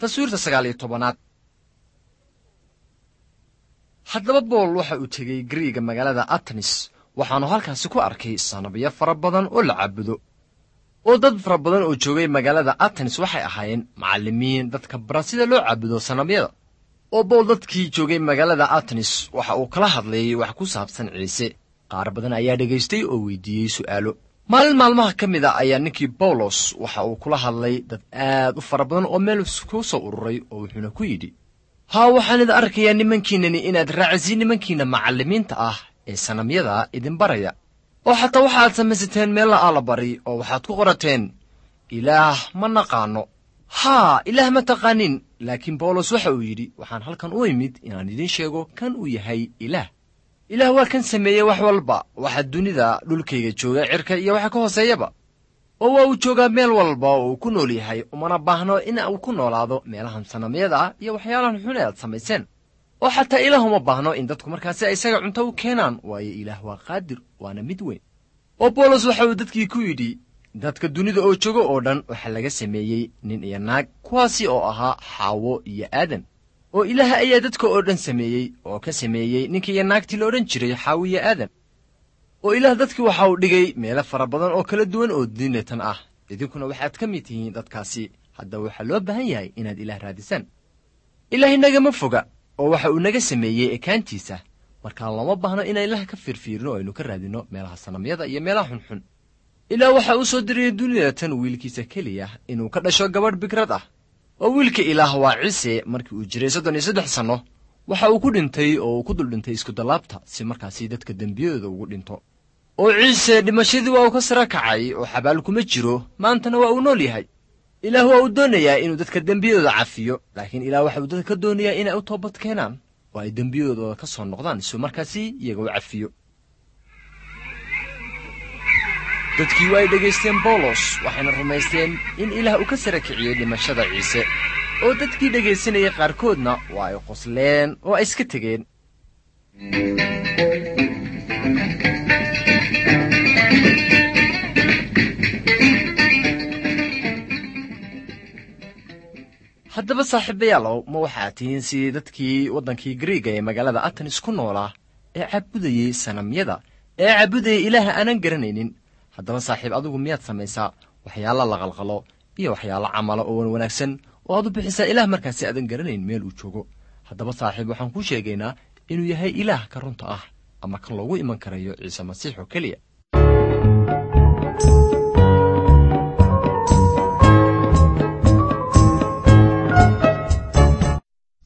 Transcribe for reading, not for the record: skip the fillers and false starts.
Taswiirta 19aad. Haddaba Bool waxa uu tegey Gariiga magaalada Atenis, waxaanu halkaasi ku arkay sanabyo fara badan oo la caabudo. Oo dad fara badan oo joogay magaalada Atenis waxay ahaayeen macallimiin dadka bara sida loo caabudo sanabyada. Oo Bool dadkii joogay magaalada Atenis waxa uu kala hadlayay wax ku saabsan Ciise. Qaar badan ayaa dhegaystay oo weydiiyey su'aalo. Maalin maalmaha ka mid a ayaa ninkii Bawlos waxa uu kula hadlay dad aad u fara badan oo meel ku soo ururay, oo wuxuuna ku yidhi: "Haa, waxaan idin arkayaa nimankiinani inaad raacisiin nimankiinna macallimiinta ah ee sanamyada idin baraya, oo xataa waxaad samaysateen meella alla bari oo waxaad ku qorateen 'Ilaah ma naqaanno.' Haa, Ilaah ma taqaanin." Laakiin Bawlos waxa uu yidhi: "Waxaan halkan u imid inaan idiin sheego kan uu yahay Ilaah. Ilaah waa kan sameeyey wax walba, waxa dunida, dhulkayga jooga, cirka iyo waxa ka hooseeyaba. Oo waa uu joogaa meel walba oo uu ku nool yahay, umana baahno in uu ku noolaado meelahan sanamyada ah iyo waxyaalahan xun ee aad samayseen. Oo xataa Ilaah uma baahno in dadku markaasi ay isaga cunto u keenaan, waayo Ilaah waa qaadir, waana mid weyn." Oo Boolos waxa uu dadkii ku yidhi: "Dadka dunida oo jooga oo dhan waxaa laga sameeyey nin iyo naag, kuwaasi oo ahaa Xaawo iyo Aadan. Oo Ilaah ayaa dadka oo dhan sameeyey oo ka sameeyey ninkii iyo naagtii la odhan jiray Xaawo iyo Aadan. Oo Ilaah dadkii waxa uu dhigay meelo fara badan oo kala duwan oo dunidatan ah. Idinkuna waxaad ka mid tihiin dadkaasi. Haddaba waxaa loo baahan yahay inaad Ilaah raadisaan. Ilaah inagama foga, oo waxa uu naga sameeyey ekaantiisa. Markaa looma baahno inaan Ilaah ka fiirfiirno oo aynu ka raadinno meelaha sanamyada iyo meelaha xunxun. Ilaah waxa uu soo diriyey dunidatan wiilkiisa keliya inuu ka dhasho gabadh bikrad ah. Oo wiilka Ilaah waa Ciise. Markii uu jiray 33 sanno waxa uu ku dhintay oo uu ku dul dhintay iskudallaabta, si markaasi dadka dembiyadooda ugu dhinto. Oo Ciise dhimashadii waa uu ka sara kacay, oo xabaal kuma jiro, maantana waa uu nool yahay. Ilaah waa uu doonayaa inuu dadka dembiyadooda cafiyo, laakiin Ilaah waxa uu dadka ka doonayaa inay u toobad keenaan oo ay dembiyadooda ka soo noqdaan, si markaasi iyaga u cafiyo." Dadkii waa ay dhegaysteen Bawlos, waxayna rumaysteen in Ilaah uu ka sara kiciyey dhimashada Ciise. Oo dadkii dhegaysanayay qaarkoodna waa ay qosleen oo ay iska tegeen. Haddaba saaxiibayaalow, ma waxaad tihiin sidii dadkii waddankii Gariiga ee magaalada Atenis ku noolaa ee caabudayey sanamyada, ee caabudayay Ilaaha aanan garanaynin? Haddaba saaxiib, adigu miyaad samaysaa waxyaalo la qalqalo iyo waxyaalo camala oo wan wanaagsan oo aad u bixisaa Ilaah markaasi aadan garanayn meel uu joogo? Haddaba saaxiib, waxaan kuu sheegaynaa inuu yahay Ilaah ka runta ah ama kan loogu iman karayo Ciise Masiix oo keliya.